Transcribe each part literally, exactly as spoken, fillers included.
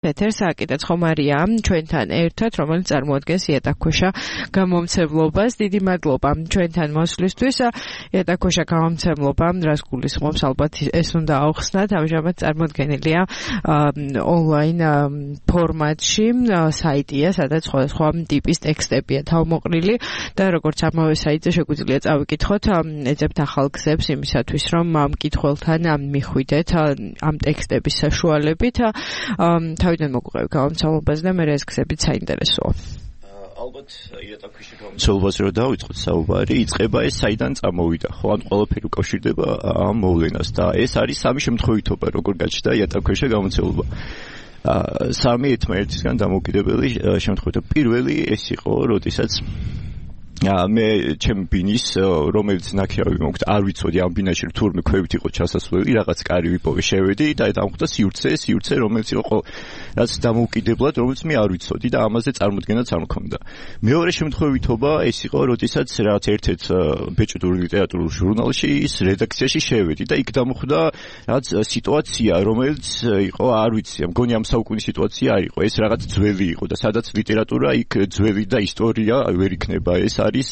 ეთერს აკეთებს ხომარია ჩვენთან ერთად, რომელიც წარმოადგენს იატაკქვეშა გამომცემლობას. დიდი მადლობა ჩვენთან მოსვლისთვის. იატაკქვეშა გამომცემლობა, რას გულისხმობს, ალბათ ეს უნდა აუხსნათ, ამჟამად წარმოდგენილია ონლაინ ფორმატში, საიტია, სადაც სხვადასხვა ტიპის ტექსტებია თავმოყრილი და როგორც ამავე საიტზე შეგვიძლია წავიკითხოთ, ეძებთ ახალ გზებს იმისათვის, რომ ამ მკითხველთან მიხვიდეთ ამ ტექსტების საშუალებით. თავიდან მოგვყევი გამომცემლობაზე და მე ეს გზებიც საინტერესოა. ალბათ იატაკქვეშა გამომცემლობას რო დავიწყოთ საუბარი, იწყება ეს საიდან წამოვიდა, ხო, ან ყველაფერი უკავშირდება ამ მოვლენას და ეს არის სამი შემთხვევითობა, როგორ გაჩნდა იატაკქვეშა გამომცემლობა. სამი ერთმანეთისგან დამოუკიდებელი შემთხვევითობა. პირველი ეს იყო, როდესაც მე ჩემ ბინის, რომელიც ნაქირავი მოგვთ, არ ვიცოდი ამ ბინაში თურმე ქვევით იყო ჩასასვლელი, რაღაც კარი ვიპოვე, შევედი და დამხვდა სივრცე, სივრცე რომელიც იყო რაც დამოუკიდებლად, რომელიც მე არ ვიცოდი და ამაზე წარმოდგენაც არ მქონდა. მეორე შემთხვევითობა ეს იყო, როდესაც რაღაც ერთ-ერთ ბეჭდურ ლიტერატურულ ჟურნალში ის რედაქციაში შევედი და იქ დამხვდა რაღაც სიტუაცია, რომელიც იყო, არ ვიცი, მგონი ამ საუკუნის სიტუაცია არ იყო, ეს რაღაც ძველი იყო და სადაც ლიტერატურა იქ ძველი და ისტორია ვერ იქნება ეს არის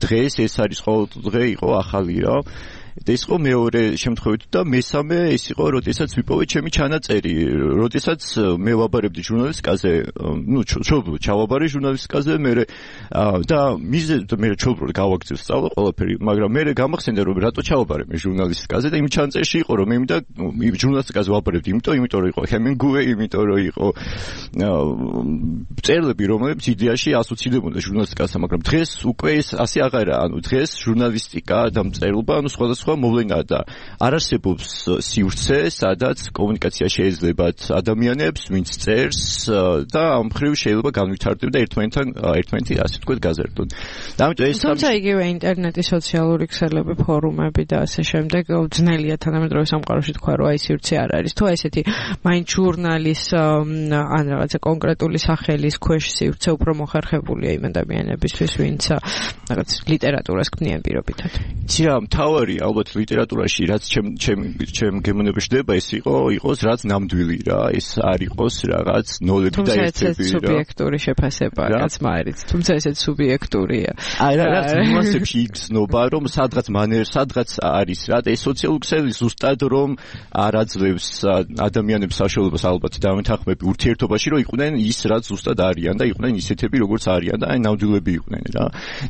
დღეს ეს არის ყოველდღე იყო ახალი რა ეს იყო მეორე შემთხვევით და მესამე ეს იყო როდესაც ვიპოვე ჩემი ჩანაწერი როდესაც მე ვაბარებდი ჟურნალისტიკაზე ну ჩობლო ჩავაბარე ჟურნალისტიკაზე მე და მიზე მე ჩობლო გავაგზავნე სწავლა ყველაფერი მაგრამ მე გამახსენდა რომ რატო ჩავაბარე მე ჟურნალისტიკაზე და იმ ჩანაწერში იყო რომ მე მინდა ჟურნალისტიკაზე ვაბარებდი იმიტომ იმიტომ რომ იყო ჰემინგუეი იმიტომ რომ იყო წერილები რომლებიც იდეაში ასოცირდებოდა ჟურნალისტიკასთან მაგრამ დღეს უკვე ეს ასე აღარა ანუ დღეს ჟურნალისტიკა და მწერლობა ანუ სხვადასხვა მოვლენა და არ არსებობს სივრცე, სადაც კომუნიკაცია შეიძლებათ ადამიანებს, ვინც წერს და ამ მხრივ შეიძლება განვითარდებოდეს და ერთმანეთთან ერთმანეთი ასე თქვა გაზარდონ. ამიტომ ეს თუმცა იგივე ინტერნეტი, სოციალური ქსელები, ფორუმები და ასე შემდეგ ძნელია თანამედროვე სამყაროში თქვა რომ აი სივრცე არ არის. თუ ესეთი მაინც ჟურნალის ან რაღაცა კონკრეტული სახელის ქვეშ სივრცე უფრო მოხერხებულია იმ ადამიანებისთვის, ვინც რაღაც ლიტერატურას ქმნიან პირობითად. იცი რა, მთავარი ალბათ ლიტერატურაში რაც ჩემ ჩემ ჩემ გემოვნებაში ხდება ეს იყო იყოს რაც ნამდვილი რა ეს არ იყოს რაღაც ნოლები და ერთები რა სუბიექტური შეფასება რაც მაერიც თუმცა ესეც სუბიექტურია აი რა რაც ნუანსებში იგრძნობა რომ სადღაც მანერ სადღაც არის რა და ეს სოციალური ქსელი ზუსტად რომ არ აძლევს ადამიანებს საშუალებას ალბათ დამეთანხმები ურთიერთობაში რომ იყვნენ ის რაც ზუსტად არიან და იყვნენ ისეთები როგორც არიან და აი ნამდვილები იყვნენ რა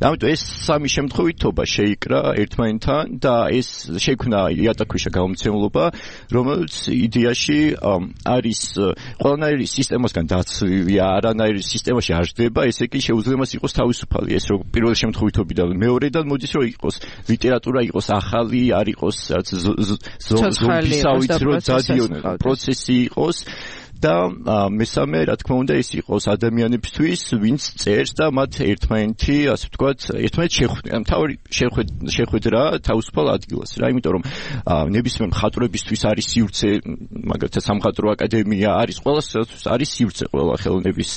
ამიტომ ეს სამი შემთხვევითობა შეიკრა ერთმანეთთან და ეს შექმნა იატაკქვეშა გამომცემლობა, რომელიც იდეაში არის ყველანაირი სისტემასგან დაცლილი, არანაირი სისტემაში არ ჯდება, ესე კი შეუძლია მას იყოს თავისუფალი, ეს რომ პირველი შემთხვევითობიდან მეორედან მოდის რომ იყოს ლიტერატურა იყოს ახალი, არ იყოს რაც ზომბისავით რომ დადიონ პროცესი იყოს და მესამე რა თქმა უნდა ეს იყოს ადამიანებისთვის, ვინც წერს და მათ ერთმანეთი, ასე ვთქვათ, ერთმანეთს შეხვდნენ. მთავარი შეხვედრა თავისუფალ ადგილას რა, იმიტომ რომ ნებისმიერ მხატვრებისთვის არის სივრცე, მაგალითად სამხატვრო აკადემია არის, ყველასთვის არის სივრცე ყველა ხელოვნების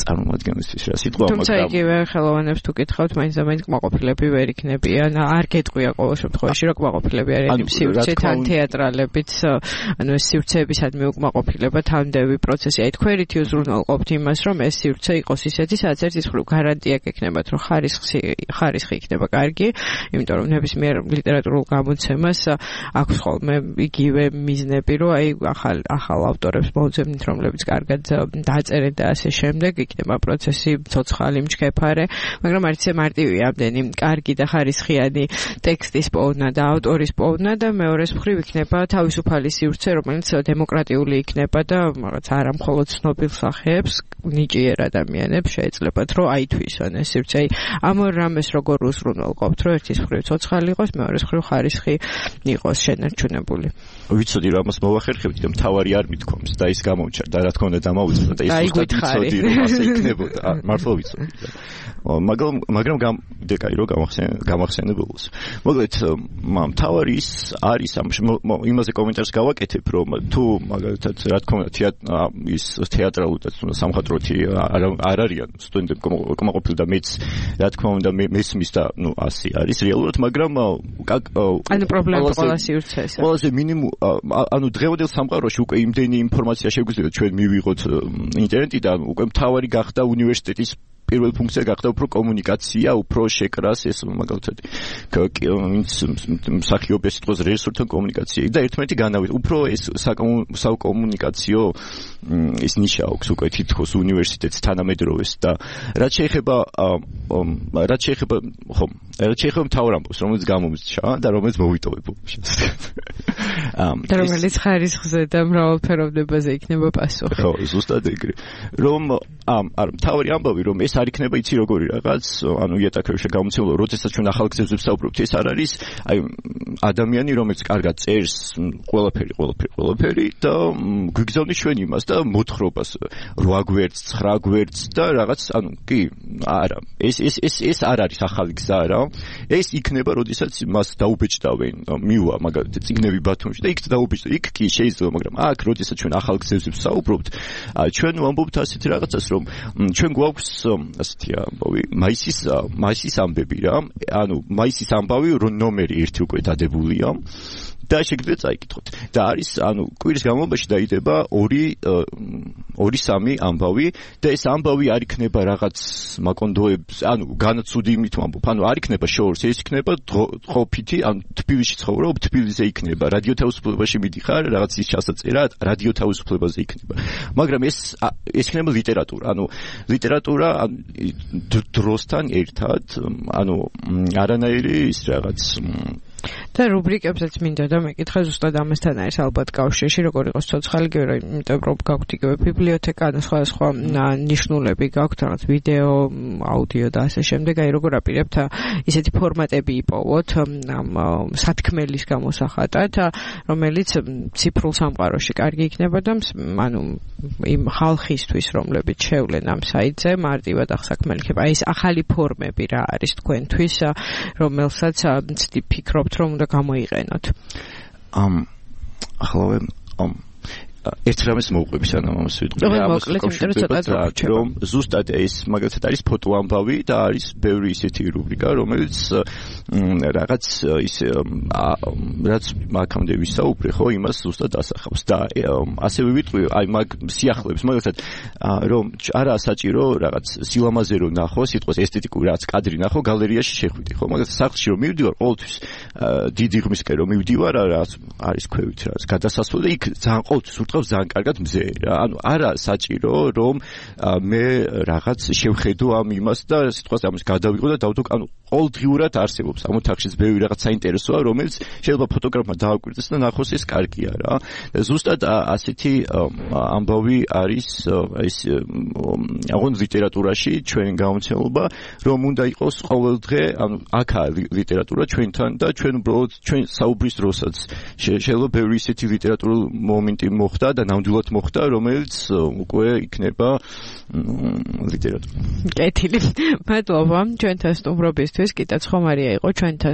წარმომადგენლისთვის რა სიტყვა, მაგრამ თუმცა იგივე ხელოვნებს თუ კითხავთ, მაინც და მაინც კმაყოფილები ვერ იქნებიან, არ გეტყვია ყოველ შემთხვევაში რომ კმაყოფილები არიან სივრცეთან თეატრალებიც, ანუ ეს სივრცეებისადმი უკმაყოფილება თანდევი პროცესი. აი თქვენ რითი უზრუნველყოფთ იმას, რომ ეს სივრცე იყოს ისეთი, სადაც ერთის მხრივ გარანტია გექნებათ, რომ ხარისხი ხარისხი იქნება კარგი, იმიტომ რომ ნებისმიერ ლიტერატურულ გამოცემას აქვს ხოლმე იგივე მიზნები, რომ აი ახალ ახალ ავტორებს მოუძებნით, რომლებიც კარგად დაწერენ და ასე შემდეგ, იქნება პროცესი ცოცხალი, მჩქეფარე, მაგრამ არც ისე მარტივია ამდენი კარგი და ხარისხიანი ტექსტის პოვნა და ავტორის პოვნა და მეორეს მხრივ იქნება თავისუფალი სივრცე, რომელიც დემოკრატიული იქნება და რაღაც არა მხოლოდ ცნობილ სახეებს, ნიჭიერ ადამიანებს შეეძლებათ, რომ აითვისონ ეს სივრცე. ამ ორ რამეს როგორ უზრუნველყოფთ, რომ ერთის მხრივ ცოცხალი იყოს, მეორეს მხრივ ხარისხი იყოს შენარჩუნებული. ვიცოდი რომ ამას მოვახერხებთ და მთავარი არ მithქვამს და ის გამომჩნდა და რა თქმა უნდა დამაუწყდა და ის უბრალოდ ვიცოდი რომ ასე იქნებოდა. მართლა ვიცოდი. მაგრამ მაგრამ გამდეგაი რომ გამახსენებულს. მოკლედ მთავარი ის არის ამ იმაზე კომენტარს გავაკეთებ რომ თუ მაგალითად რა თქმა უნდა ის თეატრალურად სამხატვროთი არ არიან სტუდენტები კმაყოფილი და მეც რა თქმა უნდა მესმის და ნუ ასე არის რეალურად მაგრამ ანუ პრობლემა ყველა სივრცეს ყველაზე მინიმუმ ანუ დღევანდელ სამყაროში უკვე იმდენი ინფორმაცია შეგვიძლია ჩვენ მივიღოთ ინტერნეტიდან, უკვე მთავარი გახდა უნივერსიტეტის პირველი ფუნქცია გახდა უფრო კომუნიკაცია, უფრო შეკრას ეს მაგალითად მსახიობი სიტყვის რეჟისორთან კომუნიკაცია და ერთმანეთი განავით. უფრო ეს საკომუნიკაციო ის ნიშა აქვს უკვე თითქოს უნივერსიტეტს თანამედროვეს და რაც შეეხება რაც შეეხება ხო რაც შეეხება მთავარ ამბავს, რომელიც გამომწჩა და რომელიც მოვიტოვებო. და რომელიც ხარისხზე და მრავალფეროვნებაზე იქნება პასუხი. ხო, ზუსტად ეგრე. რომ არა, მთავარი ამბავი რომ ეს არ იქნება იცი როგორი რაღაც, ანუ იატაკებში გამოცემულო, როდესაც ჩვენ ახალ გზებზე ვსაუბრობთ, ეს არ არის აი ადამიანი, რომელიც კარგად წერს ყველაფერი, ყველაფერი, ყველაფერი და გვიგზავნის ჩვენ იმას და მოთხრობას რვა გვერდს, ცხრა გვერდს და რაღაც, ანუ კი, არა. ეს ეს ეს ეს არ არის ახალი გზა რა. ეს იქნება, როდესაც მას დაუბეჭდავენ, მივა მაგალითად წიგნები ბათუმში და იქ დაუბეჭდა. იქ კი შეიძლება, მაგრამ აქ, როდესაც ჩვენ ახალ გზებზე ვსაუბრობთ, ჩვენ ვამბობთ ასეთ რაღაცას, რომ ჩვენ გვაქვს ასეთი ამბავი, მაისის მაისის ამბები რა. ანუ მაისის ამბავი ნომერი ერთი უკვე დადებულია. და შეგიძლიათ წაიკითხოთ. და არის, ანუ კვირის განმავლობაში დაიდება ორი ორი სამი ამბავი და ეს ამბავი არ იქნება რაღაც მაკონდოებს, ანუ განაცუდი იმით ვამბობ, ანუ არ იქნება შორს, ეს იქნება ყოფითი, ანუ თბილისში ცხოვრობ, თბილისზე იქნება, რადიო თავისუფლებაში მიდიხარ, რაღაც ის ჩასაწერა, რადიო თავისუფლებაზე იქნება. მაგრამ ეს ეს იქნება ლიტერატურა, ანუ ლიტერატურა დროსთან ერთად, ანუ არანაირი ის რაღაც და რუბრიკებსაც მინდა და მეკითხა ზუსტად ამასთან არის ალბათ კავშირში როგორ იყოს ცოცხალი გერო, იმიტომ რომ გაქვთ იგივე ბიბლიოთეკა და სხვა სხვა ნიშნულები გაქვთ რაღაც ვიდეო, აუდიო და ასე შემდეგ, აი როგორ აპირებთ ისეთი ფორმატები იპოვოთ სათქმელის გამოსახატად, რომელიც ციფრულ სამყაროში კარგი იქნება და ანუ იმ ხალხისთვის, რომლებიც შევლენ ამ საიტზე, მარტივად ახსაქმელი ხება. აი ეს ახალი ფორმები რა არის თქვენთვის, რომელსაც ფიქრობთ რომ უნდა გამოიყენოთ. ამ ახლა ამ ერთ რამეს მოვყვები სანამ ამას ვიტყვი. რომ ზუსტად ეს მაგალითად არის ფოტო ამბავი და არის ბევრი ისეთი რუბრიკა, რომელიც რაღაც ის რაც აქამდე ვისაუბრე, ხო, იმას ზუსტად ასახავს და ასევე ვიტყვი, აი მაგ სიახლეებს, მაგალითად რომ არა საჭირო რაღაც სილამაზე რომ ნახო, სიტყვის ესთეტიკური რაც კადრი ნახო, გალერეაში შეხვიდე, ხო, მაგალითად სახლში რომ მივდივარ, ყოველთვის დიდი ღმისკენ რომ მივდივარ, რაც არის ქვევით რაც გადასასვლელი და იქ ძალიან ყოველთვის ურტყავს ძალიან კარგად მზე რა. ანუ არა საჭირო რომ მე რაღაც შევხედო ამ იმას და სიტყვას ამის გადავიღო და დავდო, ანუ ყოველდღიურად არსებობს ამ ოთახშიც ბევრი რაღაც საინტერესოა, რომელიც შეიძლება ფოტოგრაფმა დააკვირდეს და ნახოს ეს კარგია რა. ზუსტად ასეთი ამბავი არის ეს აღონ ლიტერატურაში ჩვენ გამოცემულობა, რომ უნდა იყოს ყოველდღე, ანუ აქა ლიტერატურა ჩვენთან და ჩვენ უბრალოდ ჩვენ საუბრის დროსაც შეიძლება ბევრი ისეთი ლიტერატურული მომენტი მოხდა და ნამდვილად მოხდა, რომელიც უკვე იქნება ლიტერატურა. კეთილი. მადლობა ჩვენთან სტუმრობისთვის, კიტა ცხომარია იყო ჩვენთან